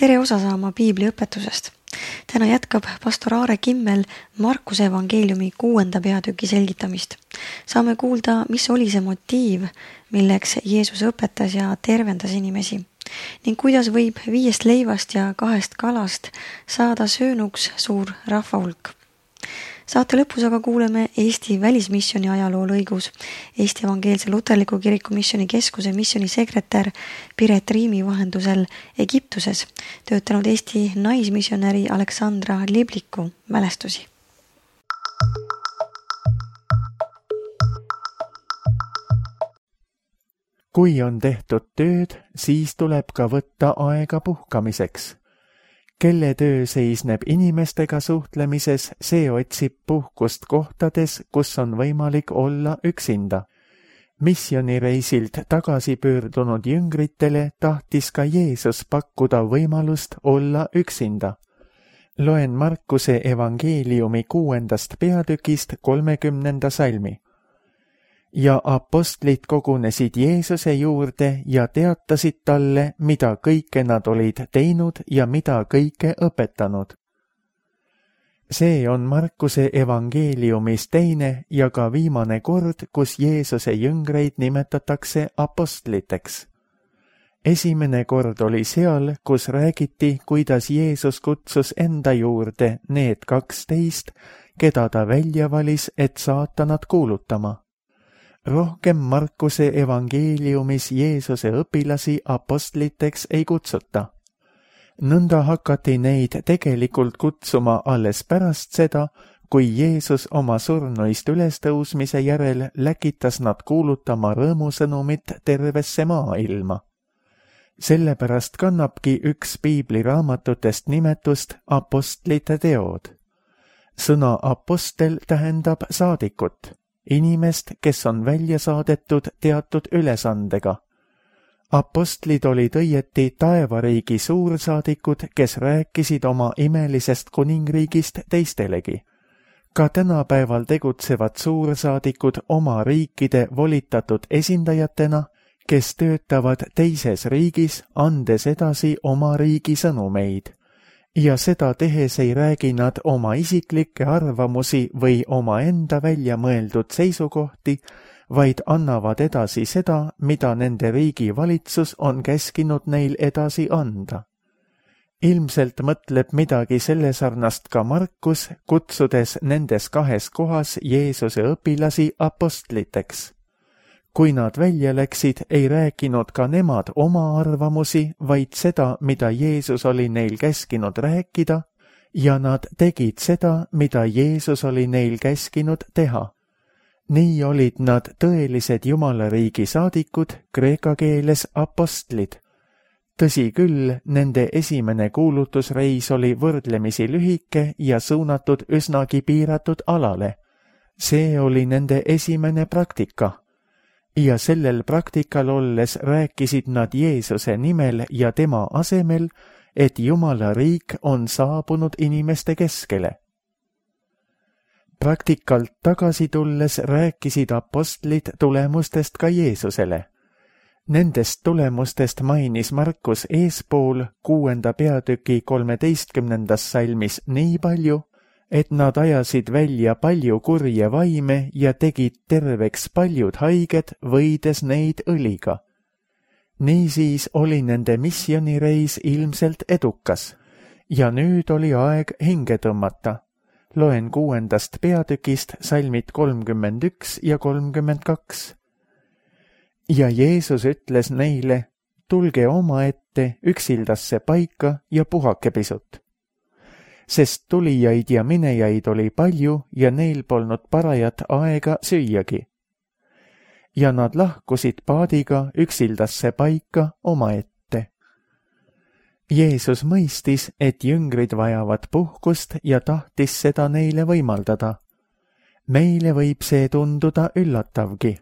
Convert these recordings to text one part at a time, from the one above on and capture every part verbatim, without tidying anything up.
tere osa saama Piibli õpetusest. Täna jätkab pastor Aare Kimmel Markuse evangeeliumi kuuenda peatüki selgitamist. Saame kuulda, mis oli see motiiv, milleks Jeesus õpetas ja tervendas inimesi, ning kuidas võib viiest leivast ja kahest kalast saada söönuks suur rahvahulk. Saate lõpus aga kuuleme Eesti välismisjoni ajaloo lõigus. Eesti Evangeelse Luterliku Kiriku Missioni Keskuse missionisekretär Piret Riimi vahendusel Egiptuses töötanud Eesti naismissionäri Aleksandra Libliku mälestusi. Kui on tehtud tööd, siis tuleb ka võtta aega puhkamiseks. Kelle töö seisneb inimestega suhtlemises, see otsib puhkust kohtades, kus on võimalik olla üksinda. Missionireisilt tagasi pöördunud jüngritele tahtis ka Jeesus pakkuda võimalust olla üksinda. Loen Markuse evangeeliumi kuuendast peatükist kolmekümnenda salmi. Ja apostlid kogunesid Jeesuse juurde ja teatasid talle, mida kõike nad olid teinud ja mida kõike õpetanud. See on Markuse evangeeliumis teine ja ka viimane kord, kus Jeesuse jüngreid nimetatakse apostliteks. Esimene kord oli seal, kus räägiti, kuidas Jeesus kutsus enda juurde need kaksteist, keda ta välja valis, et saata nad kuulutama. Rohkem Markuse evangeeliumis Jeesuse õpilasi apostliteks ei kutsuta. Nõnda hakati neid tegelikult kutsuma alles pärast seda, kui Jeesus oma surnuist ülestõusmise järel läkitas nad kuulutama rõõmusõnumit tervesse maailma. Sellepärast kannabki üks piibliraamatutest nimetust apostlite teod. Sõna apostel tähendab saadikut. Inimest, kes on välja saadetud teatud ülesandega. Apostlid olid õieti taevariigi suursaadikud, kes rääkisid oma imelisest kuningriigist teistelegi. Ka tänapäeval tegutsevad suursaadikud oma riikide volitatud esindajatena, kes töötavad teises riigis, andes edasi oma riigi sõnumeid. Ja seda tehes ei räägi nad oma isiklikke arvamusi või oma enda välja mõeldud seisukohti, vaid annavad edasi seda, mida nende riigi valitsus on käskinud neil edasi anda. Ilmselt mõtleb midagi selle sarnast ka Markus, kutsudes nendes kahes kohas Jeesuse õpilasi apostliteks. Kui nad välja läksid, ei rääkinud ka nemad oma arvamusi, vaid seda, mida Jeesus oli neil käskinud rääkida, ja nad tegid seda, mida Jeesus oli neil käskinud teha. Nii olid nad tõelised Jumalariigi saadikud, kreeka keeles apostlid. Tõsi küll, nende esimene kuulutusreis oli võrdlemisi lühike ja suunatud üsnagi piiratud alale. See oli nende esimene praktika. Ja sellel praktikal olles rääkisid nad Jeesuse nimel ja tema asemel, et Jumala riik on saabunud inimeste keskele. Praktikalt tagasi tulles rääkisid apostlid tulemustest ka Jeesusele. Nendest tulemustest mainis Markus eespool kuuenda peatüki kolmeteistkümnendas salmis nii palju, et nad ajasid välja palju kurje vaime ja tegid terveks paljud haiged, võides neid õliga. Niisiis oli nende missionireis ilmselt edukas, ja nüüd oli aeg hinge tõmmata. Loen kuuendast peatükist salmid kolmkümmend üks ja kolmkümmend kaks. Ja Jeesus ütles neile, tulge omaette üksildasse paika ja puhake pisut. Sest tulijaid ja minejaid oli palju ja neil polnud parajat aega süüagi. Ja nad lahkusid paadiga üksildasse paika omaette. Jeesus mõistis, et jüngrid vajavad puhkust ja tahtis seda neile võimaldada. Meile võib see tunduda üllatavgi.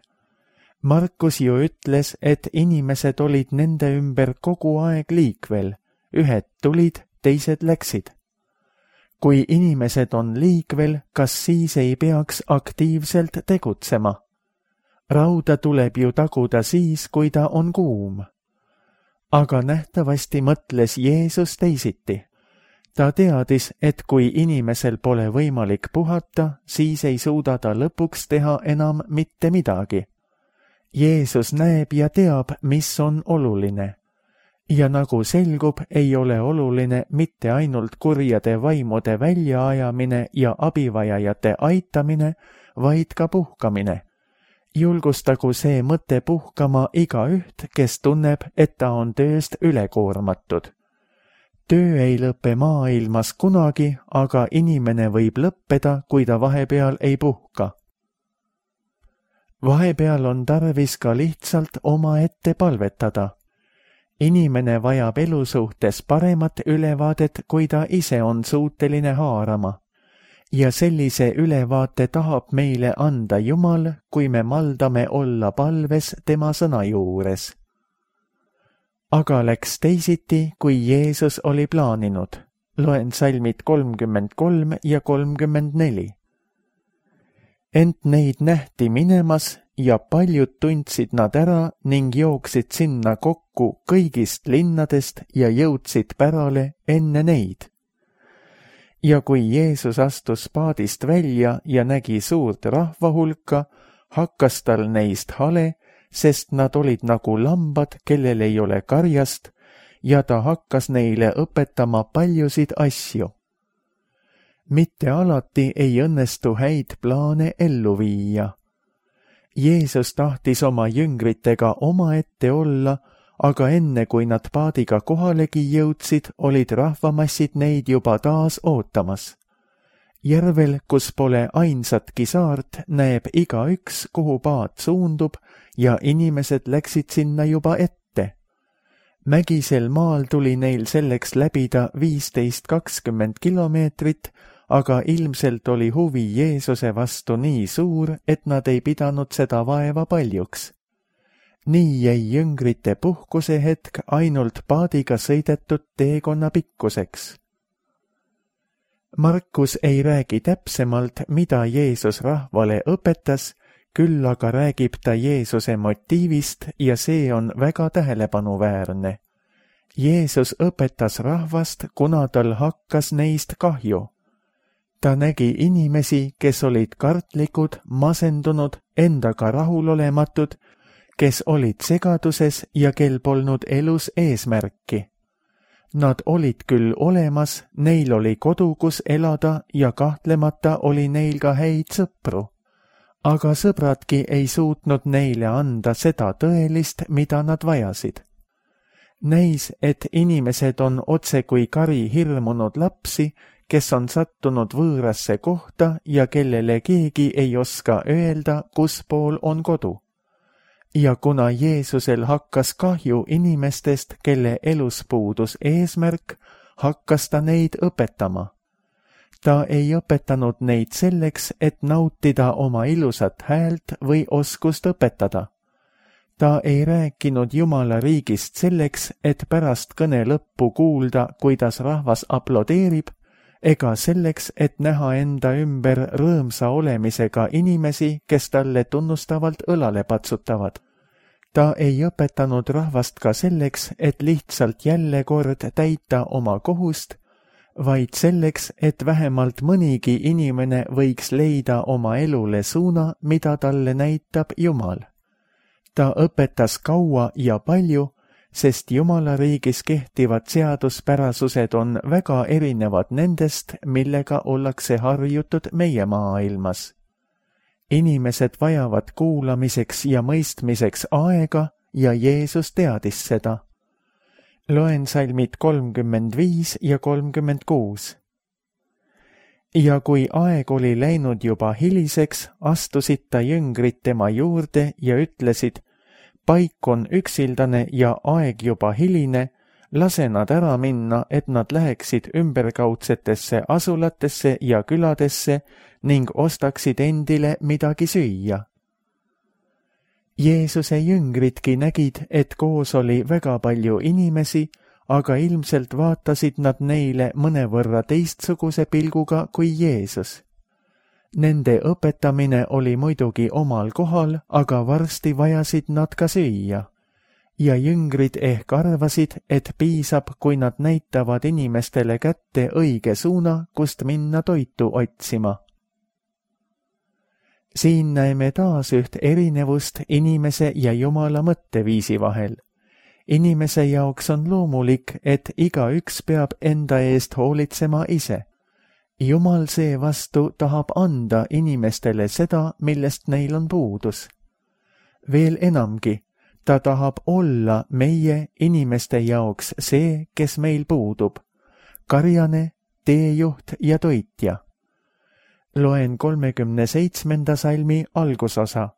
Markus ju ütles, et inimesed olid nende ümber kogu aeg liikvel. Ühed tulid, teised läksid. Kui inimesed on liikvel, kas siis ei peaks aktiivselt tegutsema? Rauda tuleb ju taguda siis, kui ta on kuum. aga nähtavasti mõtles Jeesus teisiti. Ta teadis, et kui inimesel pole võimalik puhata, siis ei suuda ta lõpuks teha enam mitte midagi. Jeesus näeb ja teab, mis on oluline. Ja nagu selgub, ei ole oluline mitte ainult kurjade vaimude väljaajamine ja abivajajate aitamine, vaid ka puhkamine. Julgustagu see mõte puhkama igaüht, kes tunneb, et ta on tööst ülekoormatud. Töö ei lõpe maailmas kunagi, aga inimene võib lõppeda, kui ta vahepeal ei puhka. Vahepeal on tarvis ka lihtsalt omaette palvetada. Inimene vajab elu suhtes paremat ülevaadet, kui ta ise on suuteline haarama. Ja sellise ülevaate tahab meile anda Jumal, kui me maldame olla palves tema sõna juures. Aga läks teisiti, kui Jeesus oli plaaninud. Loen salmid kolmkümmend kolm ja kolmkümmend neli. Ent neid nähti minemas ja paljud tundsid nad ära ning jooksid sinna kokku kõigist linnadest ja jõudsid pärale enne neid. Ja kui Jeesus astus paadist välja ja nägi suurt rahvahulka, hakkas tal neist hale, sest nad olid nagu lambad, kellel ei ole karjast, ja ta hakkas neile õpetama paljusid asju. Mitte alati ei õnnestu häid plaane ellu viia. Jeesus tahtis oma jüngritega omaette olla, aga enne kui nad paadiga kohalegi jõudsid, olid rahvamassid neid juba taas ootamas. Järvel, kus pole ainsatki saart, näeb igaüks, kuhu paat suundub, ja inimesed läksid sinna juba ette. Mägisel maal tuli neil selleks läbida viisteist kakskümmend kilomeetrit, aga ilmselt oli huvi Jeesuse vastu nii suur, et nad ei pidanud seda vaeva paljuks. Nii jäi jüngrite puhkuse hetk ainult paadiga sõidetud teekonna pikkuseks. Markus ei räägi täpsemalt, mida Jeesus rahvale õpetas, küll aga räägib ta Jeesuse motiivist ja see on väga tähelepanuväärne. Jeesus õpetas rahvast, kuna tal hakkas neist kahju. Ta nägi inimesi, kes olid kartlikud, masendunud, endaga rahulolematud, kes olid segaduses ja kel polnud elus eesmärki. Nad olid küll olemas, neil oli kodu, kus elada ja kahtlemata oli neil ka häid sõpru. Aga sõbradki ei suutnud neile anda seda tõelist, mida nad vajasid. Näis, et inimesed on otse kui kari hirmunud lapsi, kes on sattunud võõrasse kohta ja kellele keegi ei oska öelda, kus pool on kodu. Ja kuna Jeesusel hakkas kahju inimestest, kelle elus puudus eesmärk, hakkas ta neid õpetama. Ta ei õpetanud neid selleks, et nautida oma ilusat häält või oskust õpetada. Ta ei rääkinud Jumala riigist selleks, et pärast kõne lõppu kuulda, kuidas rahvas aplodeerib, ega selleks, et näha enda ümber rõõmsa olemisega inimesi, kes talle tunnustavalt õlale patsutavad. Ta ei õpetanud rahvast ka selleks, et lihtsalt jälle kord täita oma kohust, vaid selleks, et vähemalt mõnigi inimene võiks leida oma elule suuna, mida talle näitab Jumal. Ta õpetas kaua ja palju, sest Jumala riigis kehtivad seaduspärasused on väga erinevad nendest, millega ollakse harjutud meie maailmas. Inimesed vajavad kuulamiseks ja mõistmiseks aega ja Jeesus teadis seda. Loen salmid kolmkümmend viis ja kolmkümmend kuus. Ja kui aeg oli läinud juba hiliseks, astusid ta jüngrid tema juurde ja ütlesid, paik on üksildane ja aeg juba hiline, lase nad ära minna, et nad läheksid ümberkaudsetesse asulatesse ja küladesse ning ostaksid endile midagi süüa. Jeesuse jüngridki nägid, et koos oli väga palju inimesi, aga ilmselt vaatasid nad neile mõnevõrra teistsuguse pilguga kui Jeesus. Nende õpetamine oli muidugi omal kohal, aga varsti vajasid nad ka süüa. ja jüngrid ehk arvasid, et piisab, kui nad näitavad inimestele kätte õige suuna, kust minna toitu otsima. Siin näeme taas üht erinevust inimese ja Jumala mõtteviisi vahel. Inimese jaoks on loomulik, et igaüks peab enda eest hoolitsema ise. Jumal seevastu tahab anda inimestele seda, millest neil on puudus. Veel enamgi, ta tahab olla meie inimeste jaoks see, kes meil puudub, karjane, teejuht ja toitja. Loen kolmekümne seitsmenda salmi algusosa.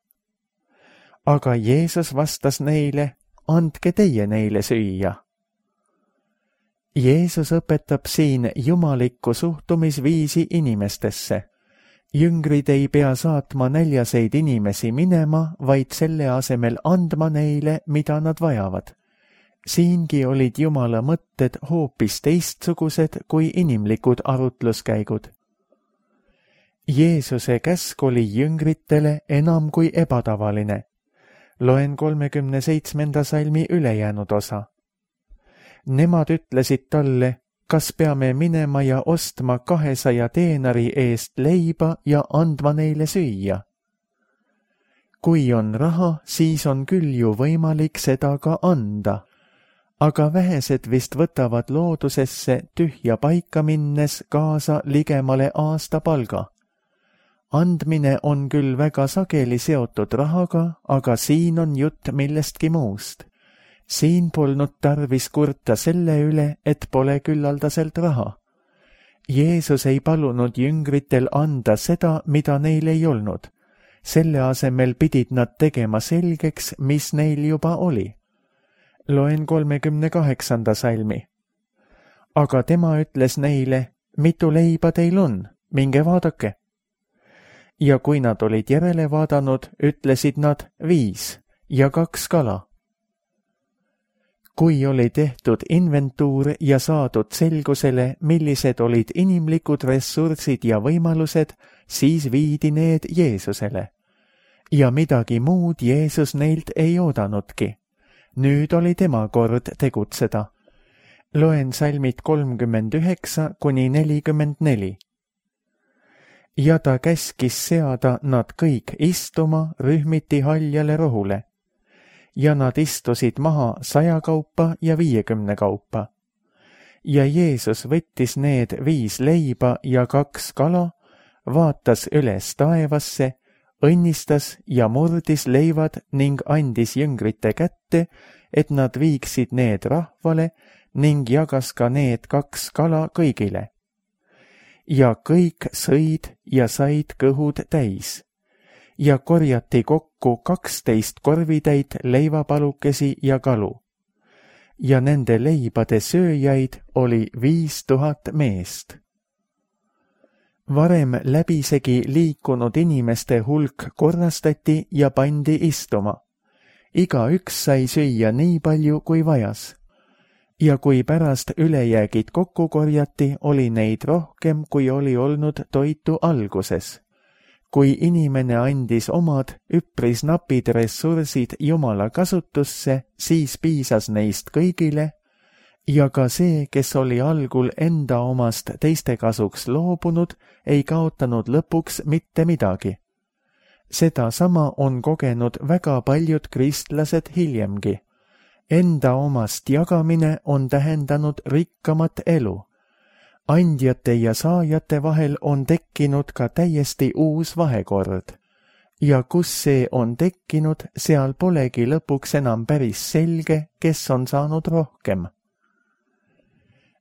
Aga Jeesus vastas neile, andke teie neile süüa. Jeesus õpetab siin jumalikku suhtumisviisi inimestesse. Jüngrid ei pea saatma näljaseid inimesi minema, vaid selle asemel andma neile, mida nad vajavad. Siingi olid Jumala mõtted hoopis teistsugused kui inimlikud arutluskäigud. Jeesuse käsk oli jüngritele enam kui ebatavaline. Loen kolmekümne seitsmenda salmi ülejäänud osa. Nemad ütlesid talle, kas peame minema ja ostma kahesaja teenari eest leiba ja andma neile süüa? Kui on raha, siis on küll ju võimalik seda ka anda. Aga vähesed vist võtavad loodusesse tühja paika minnes kaasa ligemale aasta palga. Andmine on küll väga sageli seotud rahaga, aga siin on jutt millestki muust. Siin polnud tarvis kurta selle üle, et pole küllaldaselt raha. Jeesus ei palunud jüngritel anda seda, mida neil ei olnud. Selle asemel pidid nad tegema selgeks, mis neil juba oli. Loen kolmekümne kaheksanda salmi. Aga tema ütles neile, mitu leiba teil on, minge vaadake. Ja kui nad olid järele vaadanud, ütlesid nad viis ja kaks kala. Kui oli tehtud inventuur ja saadud selgusele, millised olid inimlikud ressursid ja võimalused, siis viidi need Jeesusele. Ja midagi muud Jeesus neilt ei oodanudki. Nüüd oli tema kord tegutseda. Loen salmid kolmkümmend üheksa kuni nelikümmend neli. Ja ta käskis seada nad kõik istuma rühmiti haljale rohule. Ja nad istusid maha saja kaupa ja viiekümne kaupa. Ja Jeesus võttis need viis leiba ja kaks kala, vaatas üles taevasse, õnnistas ja murdis leivad ning andis jüngrite kätte, et nad viiksid need rahvale ning jagas ka need kaks kala kõigile. Ja kõik sõid ja said kõhud täis. Ja korjati kokku kaksteist korvitäit leivapalukesi ja kalu. Ja nende leibade sööjaid oli viis tuhat meest. Varem läbisegi liikunud inimeste hulk korrastati ja pandi istuma. Igaüks sai süüa nii palju, kui vajas. Ja kui pärast ülejäägid kokku korjati, oli neid rohkem, kui oli olnud toitu alguses. Kui inimene andis omad üpris napid ressursid Jumala kasutusse, siis piisas neist kõigile, ja ka see, kes oli algul enda omast teiste kasuks loobunud, ei kaotanud lõpuks mitte midagi. Seda sama on kogenud väga paljud kristlased hiljemgi. Enda omast jagamine on tähendanud rikkamat elu. Andjate ja saajate vahel on tekkinud ka täiesti uus vahekord. Ja kus see on tekkinud, seal polegi lõpuks enam päris selge, kes on saanud rohkem.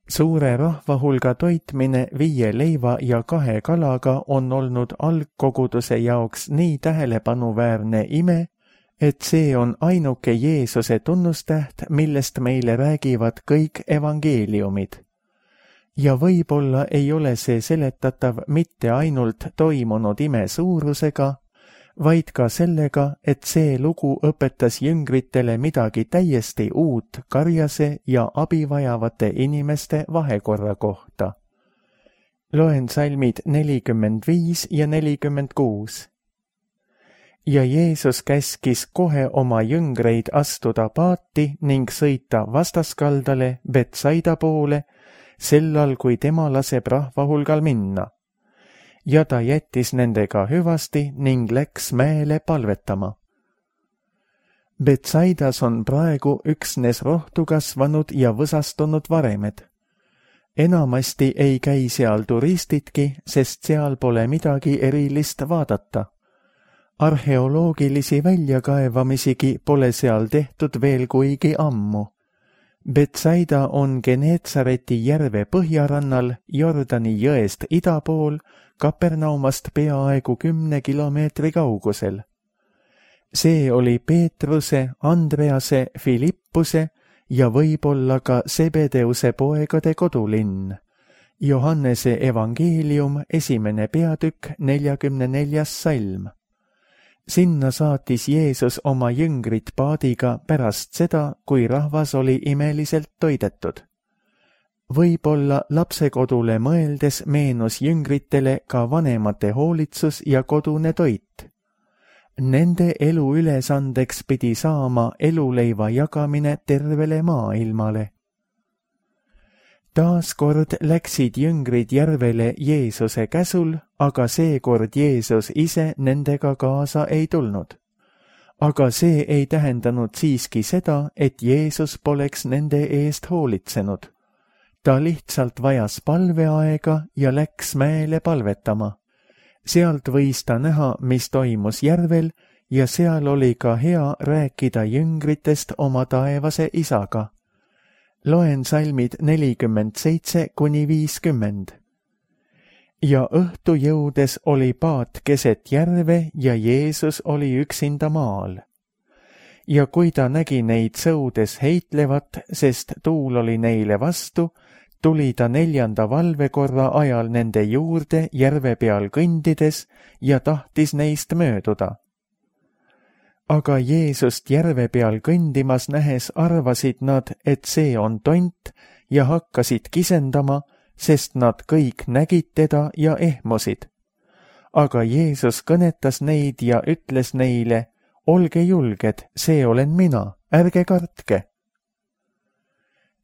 Suure rahvahulga toitmine viie leiva ja kahe kalaga on olnud algkoguduse jaoks nii tähelepanuväärne ime, et see on ainuke Jeesuse tunnustäht, millest meile räägivad kõik evangeeliumid. Ja võib-olla ei ole see seletatav mitte ainult toimunud ime suurusega, vaid ka sellega, et see lugu õpetas jüngritele midagi täiesti uut karjase ja abivajavate inimeste vahekorra kohta. Loen salmid nelikümmend viis ja nelikümmend kuus. ja Jeesus käskis kohe oma jüngreid astuda paati ning sõita vastaskaldale Betsaida poole, sellal kui tema laseb rahva hulgal minna. Ja ta jättis nendega hüvasti ning läks mäele palvetama. Betsaidas on praegu üksnes rohtu kasvanud ja võsastunud varemed. Enamasti ei käi seal turistidki, sest seal pole midagi erilist vaadata. Arheoloogilisi väljakaevamisigi pole seal tehtud veel kuigi ammu. Betsaida on Geneetsareti järve põhjarannal Jordani jõest ida pool, Kapernaumast peaaegu kümne kilomeetri kaugusel. See oli Peetruse, Andrease, Filippuse ja võib-olla ka Sebedeuse poegade kodulinn. Johannese evangeelium, esimene peatükk, neljakümne neljas salm. Sinna saatis Jeesus oma jüngrid paadiga pärast seda, kui rahvas oli imeliselt toidetud. Võib-olla lapsekodule mõeldes meenus jüngritele ka vanemate hoolitsus ja kodune toit. Nende elu ülesandeks pidi saama eluleiva jagamine tervele maailmale. Taaskord läksid jüngrid järvele Jeesuse käsul, aga seekord Jeesus ise nendega kaasa ei tulnud. Aga see ei tähendanud siiski seda, et Jeesus poleks nende eest hoolitsenud. Ta lihtsalt vajas palveaega ja läks mäele palvetama. Sealt võis ta näha, mis toimus järvel, ja seal oli ka hea rääkida jüngritest oma taevase isaga. Loen salmid nelikümmend seitse kuni viiskümmend. Ja õhtu jõudes oli paat keset järve ja Jeesus oli üksinda maal. Ja kui ta nägi neid sõudes heitlevat, sest tuul oli neile vastu, tuli ta neljanda valvekorra ajal nende juurde järve peal kõndides ja tahtis neist mööduda. Aga Jeesust järve peal kõndimas nähes arvasid nad, et see on tont ja hakkasid kisendama, sest nad kõik nägid teda ja ehmusid. Aga Jeesus kõnetas neid ja ütles neile, olge julged, see olen mina, ärge kartke.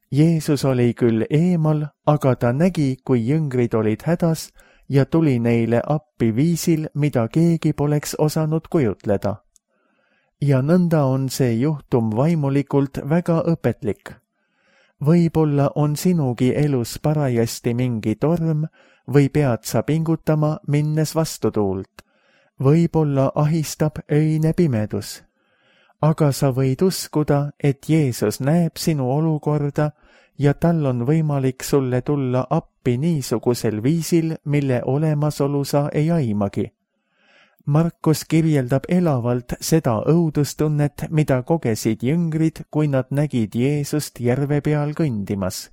Jeesus oli küll eemal, aga ta nägi, kui jüngrid olid hädas ja tuli neile appi viisil, mida keegi poleks osanud kujutleda. Ja nõnda on see juhtum vaimulikult väga õpetlik. Võib-olla on sinugi elus parajasti mingi torm või pead sa pingutama, minnes vastutuult. Võib-olla ahistab öine pimedus. Aga sa võid uskuda, et Jeesus näeb sinu olukorda ja tal on võimalik sulle tulla appi niisugusel viisil, mille olemasolu sa ei aimagi. Markus kirjeldab elavalt seda õudustunnet, mida kogesid jüngrid, kui nad nägid Jeesust järve peal kõndimas.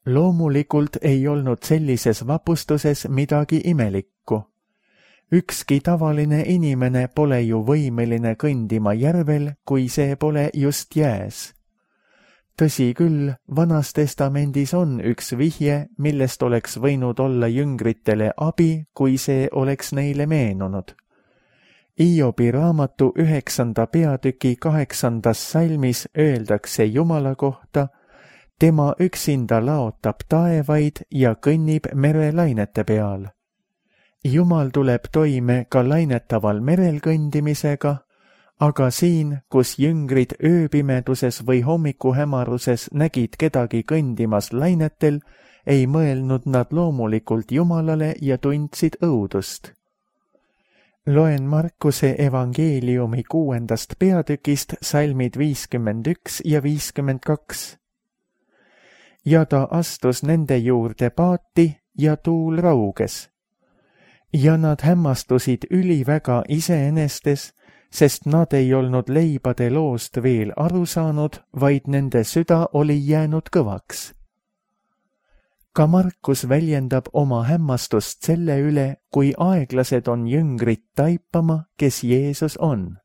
Loomulikult ei olnud sellises vapustuses midagi imelikku. Ükski tavaline inimene pole ju võimeline kõndima järvel, kui see pole just jääs. Tõsi küll, Vanas Testamendis on üks vihje, millest oleks võinud olla jüngritele abi, kui see oleks neile meenunud. Iobi raamatu üheksanda peatüki kaheksandas salmis öeldakse Jumala kohta, tema üksinda laotab taevaid ja kõnnib merelainete peal. Jumal tuleb toime ka lainetaval merel kõndimisega, aga siin, kus jüngrid ööpimeduses või hommikuhämaruses nägid kedagi kõndimas lainetel, ei mõelnud nad loomulikult Jumalale ja tundsid õudust. Loen Markuse evangeeliumi kuuendast peatükist salmid viiskümmend üks ja viiskümmend kaks. Ja ta astus nende juurde paati ja tuul rauges. Ja nad hämmastusid üliväga iseenestes, sest nad ei olnud leibade loost veel aru saanud, vaid nende süda oli jäänud kõvaks. Ka Markus väljendab oma hämmastust selle üle, kui aeglased on jüngrid taipama, kes Jeesus on.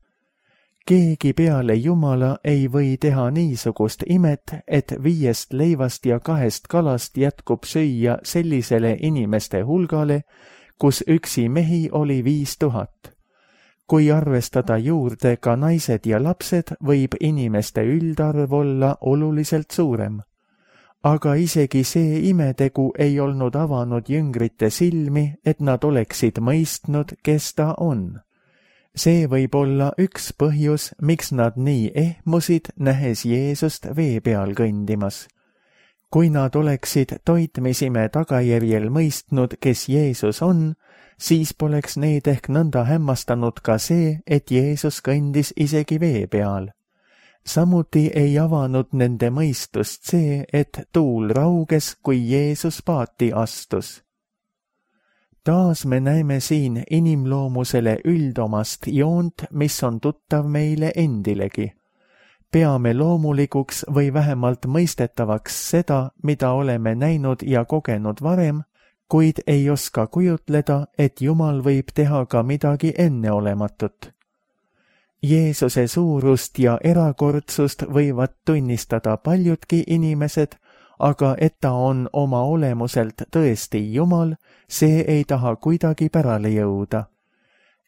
Keegi peale Jumala ei või teha niisugust imet, et viiest leivast ja kahest kalast jätkub süüa sellisele inimeste hulgale, kus üksi mehi oli viis tuhat. kui arvestada juurde ka naised ja lapsed, võib inimeste üldarv olla oluliselt suurem. Aga isegi see imetegu ei olnud avanud jüngrite silmi, et nad oleksid mõistnud, kes ta on. See võib olla üks põhjus, miks nad nii ehmusid, nähes Jeesust vee peal kõndimas. Kui nad oleksid toitmisime tagajärjel mõistnud, kes Jeesus on, siis poleks neid ehk nõnda hämmastanud ka see, et Jeesus kõndis isegi vee peal. Samuti ei avanud nende mõistust see, et tuul rauges, kui Jeesus paati astus. Taas me näeme siin inimloomusele üldomast joont, mis on tuttav meile endilegi. Peame loomulikuks või vähemalt mõistetavaks seda, mida oleme näinud ja kogenud varem, kuid ei oska kujutleda, et Jumal võib teha ka midagi enneolematut. Jeesuse suurust ja erakordsust võivad tunnistada paljudki inimesed, aga et ta on oma olemuselt tõesti Jumal, see ei taha kuidagi pärale jõuda.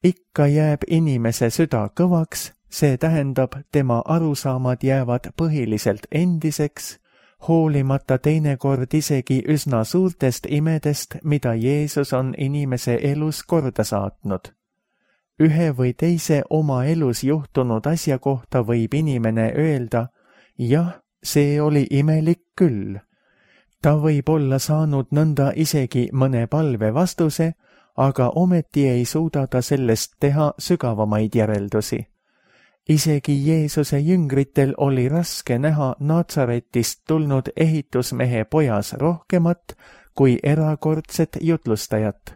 Ikka jääb inimese süda kõvaks, see tähendab, tema arusaamad jäävad põhiliselt endiseks, hoolimata teinekord isegi üsna suurtest imedest, mida Jeesus on inimese elus korda saatnud. Ühe või teise oma elus juhtunud asja kohta võib inimene öelda, jah, see oli imelik küll. Ta võib olla saanud nõnda isegi mõne palve vastuse, aga ometi ei suuda ta sellest teha sügavamaid järeldusi. Isegi Jeesuse jüngritel oli raske näha Natsaretist tulnud ehitusmehe pojas rohkemat kui erakordset jutlustajat.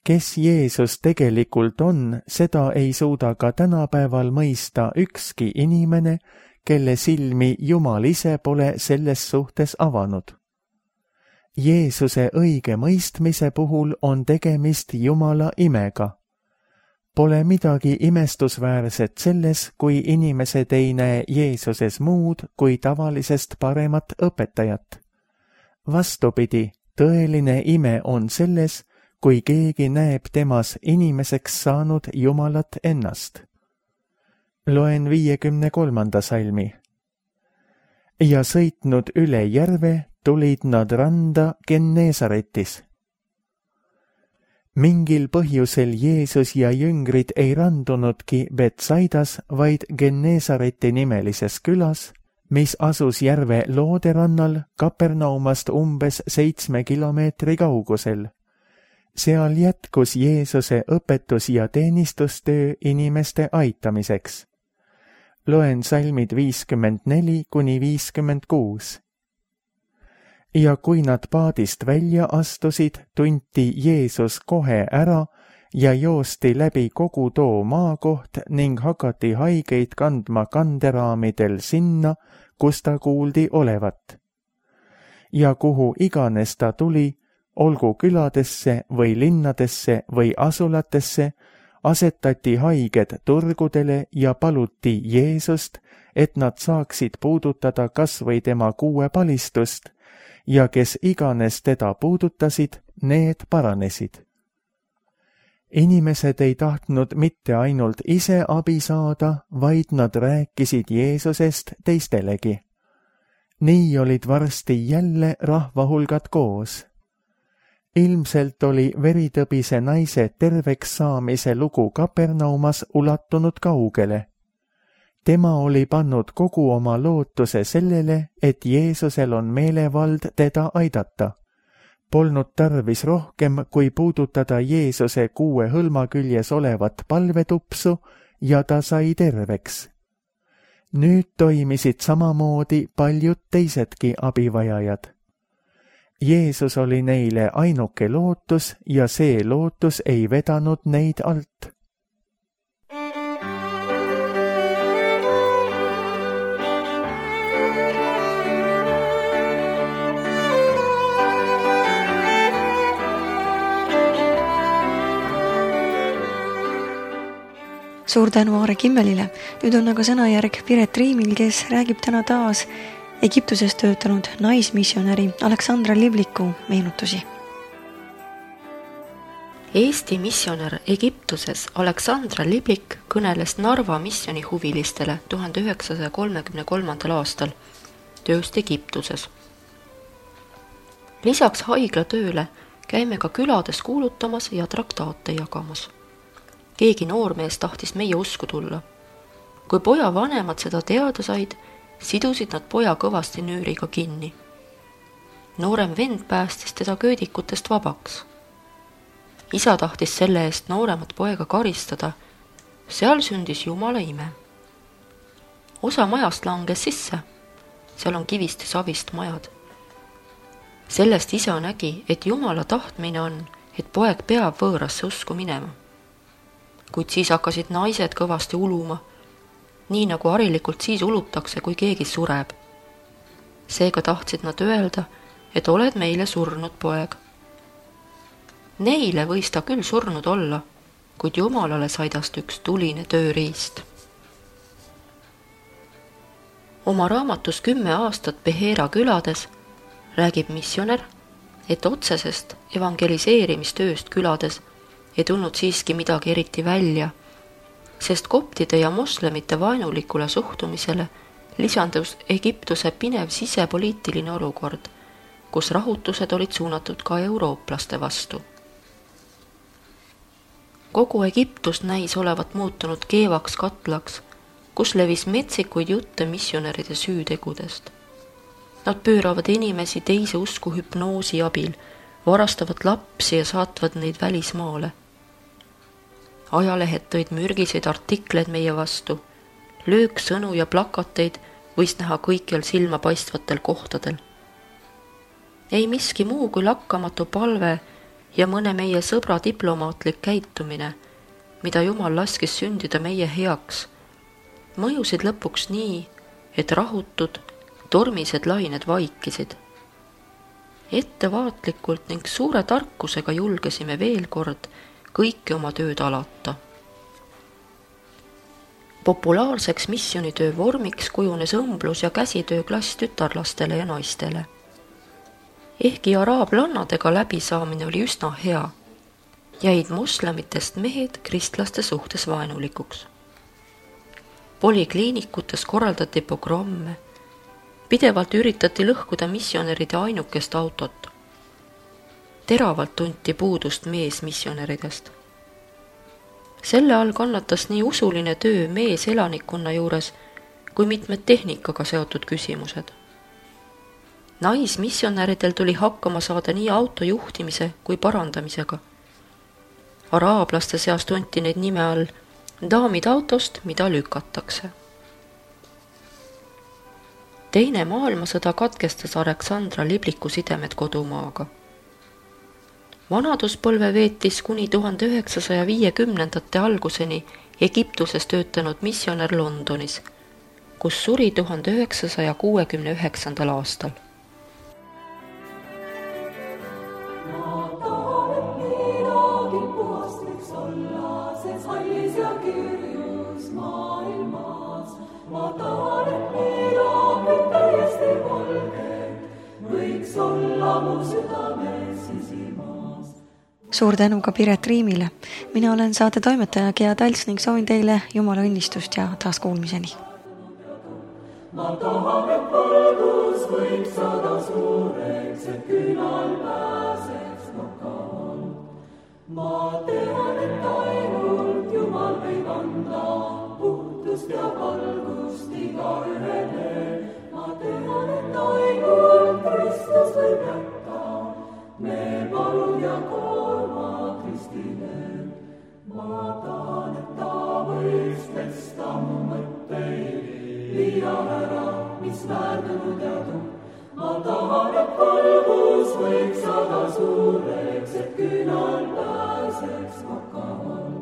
Kes Jeesus tegelikult on, seda ei suuda ka tänapäeval mõista ükski inimene, kelle silmi Jumal ise pole selles suhtes avanud. Jeesuse õige mõistmise puhul on tegemist Jumala imega. Pole midagi imestusväärset selles, kui inimesed ei näe Jeesuses muud kui tavalisest paremat õpetajat. Vastupidi, tõeline ime on selles, kui keegi näeb temas inimeseks saanud Jumalat ennast. Loen viiekümne kolmanda salmi. Ja sõitnud üle järve, tulid nad randa Gennesaretis. Mingil põhjusel Jeesus ja jüngrid ei randunudki Betsaidas, vaid Gennesareti nimelises külas, mis asus järve looderannal Kapernaumast umbes seitsme kilomeetri kaugusel. Seal jätkus Jeesuse õpetus ja teenistustöö inimeste aitamiseks. Loen salmid viiskümmend neli kuni viiskümmend kuus. Ja kui nad paadist välja astusid, tunti Jeesus kohe ära ja joosti läbi kogu too maakoht ning hakati haigeid kandma kanderaamidel sinna, kus ta kuuldi olevat. Ja kuhu iganes ta tuli, olgu küladesse või linnadesse või asulatesse, asetati haiged turgudele ja paluti Jeesust, et nad saaksid puudutada kas või tema kuuepalistust, ja kes iganes teda puudutasid, need paranesid. Inimesed ei tahtnud mitte ainult ise abi saada, vaid nad rääkisid Jeesusest teistelegi. Nii olid varsti jälle rahvahulgad koos. Ilmselt oli veritõbise naise terveks saamise lugu Kapernaumas ulatunud kaugele. Tema oli pannud kogu oma lootuse sellele, et Jeesusel on meelevald teda aidata. Polnud tarvis rohkem, kui puudutada Jeesuse kuue hõlma küljes olevat palvetupsu ja ta sai terveks. Nüüd toimisid samamoodi paljud teisedki abivajajad. Jeesus oli neile ainuke lootus ja see lootus ei vedanud neid alt. Suur tänu Aare Kimmelile. Nüüd on aga sõnajärg Piret Riimil, kes räägib täna taas Egiptuses töötanud naismissionäri Aleksandra Livliku meenutusi. Eesti missionär Egiptuses Aleksandra Liblik kõneles Narva misjoni huvilistele tuhande üheksasaja kolmekümne kolmandal aastal tööst Egiptuses. Lisaks haiglatööle käime ka külades kuulutamas ja traktaate jagamas. Keegi noormees tahtis meie usku tulla. Kui poja vanemad seda teada said, sidusid nad poja kõvasti nüüriga kinni. Noorem vend päästis teda köödikutest vabaks. Isa tahtis selle eest nooremat poega karistada. Seal sündis Jumala ime. Osa majast langes sisse. Seal on kivist ja savist majad. Sellest isa nägi, et Jumala tahtmine on, et poeg peab võõrasse usku minema. Kuid siis hakkasid naised kõvasti uluma, nii nagu harilikult siis ulutakse, kui keegi sureb. Seega tahtsid nad öelda, et oled meile surnud poeg. Neile võis ta küll surnud olla, kuid Jumalale saidast üks tuline tööriist. Oma raamatus kümme aastat Beheera külades räägib missionär, et otsesest evangeliseerimistööst külades ei tulnud siiski midagi eriti välja, sest koptide ja moslemite vaenulikule suhtumisele lisandus Egiptuse pinev sisepoliitiline olukord, kus rahutused olid suunatud ka eurooplaste vastu. Kogu Egiptus näis olevat muutunud keevaks katlaks, kus levis metsikuid jutte missionäride süütegudest. Nad pööravad inimesi teise usku hüpnoosi abil, varastavad lapsi ja saatvad neid välismaale. Ajalehed tõid mürgiseid artikleid meie vastu, lööksõnu ja plakateid võis näha kõikjal silma paistvatel kohtadel. Ei miski muu kui lakkamatu palve ja mõne meie sõbra diplomaatlik käitumine, mida Jumal laskis sündida meie heaks, mõjusid lõpuks nii, et rahutud, tormised lained vaikisid. Ettevaatlikult ning suure tarkusega julgesime veel kord kõiki oma tööd alata. Populaarseks missionitöö vormiks kujunes õmblus ja käsitööklass tütarlastele ja naistele. Ehkki araablannadega läbisaamine oli üsna hea, jäid moslemitest mehed kristlaste suhtes vaenulikuks. Polikliinikutes korraldati pogromme, pidevalt üritati lõhkuda missionäride ainukest autot. Teravalt tunti puudust mees missionäridest. Selle all kannatas nii usuline töö mees elanikkonna juures kui mitmed tehnikaga seotud küsimused. Naismissionäridel tuli hakkama saada nii auto juhtimise kui parandamisega. Araablaste seas tunti neid nime all daamid autost, mida lükatakse. Teine maailmasõda katkestas Aleksandra Libliku sidemed kodumaaga. Vanaduspõlve veetis kuni tuhande üheksasaja viiekümnendate alguseni Egiptuses töötanud missionär Londonis, kus suri tuhande üheksasaja kuuekümne üheksandal aastal. Suur tänu ka Piret Riimile. Mina olen saate toimetaja Gea Talts ning soovin teile Jumala õnnistust ja taas kuulmiseni. Ma tahan, et valgus võib saada suureks, et künal pääseks nokal. Ma tean, et ainult Jumal võib anda puhtust ja valgust iga ühele. Ma tean, et ainult Kristus võib jätta me palud ja koorma Kristile. Ma tahan, et ta võiks pesta mu mõtteid, viia ära, mis väärdunud jadu. Ma tahan, et valgus võiks saada suureks, et künal pääseks nokal.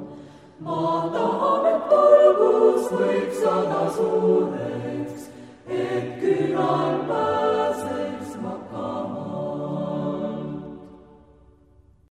Ma tahan, et valgus võiks saada suureks,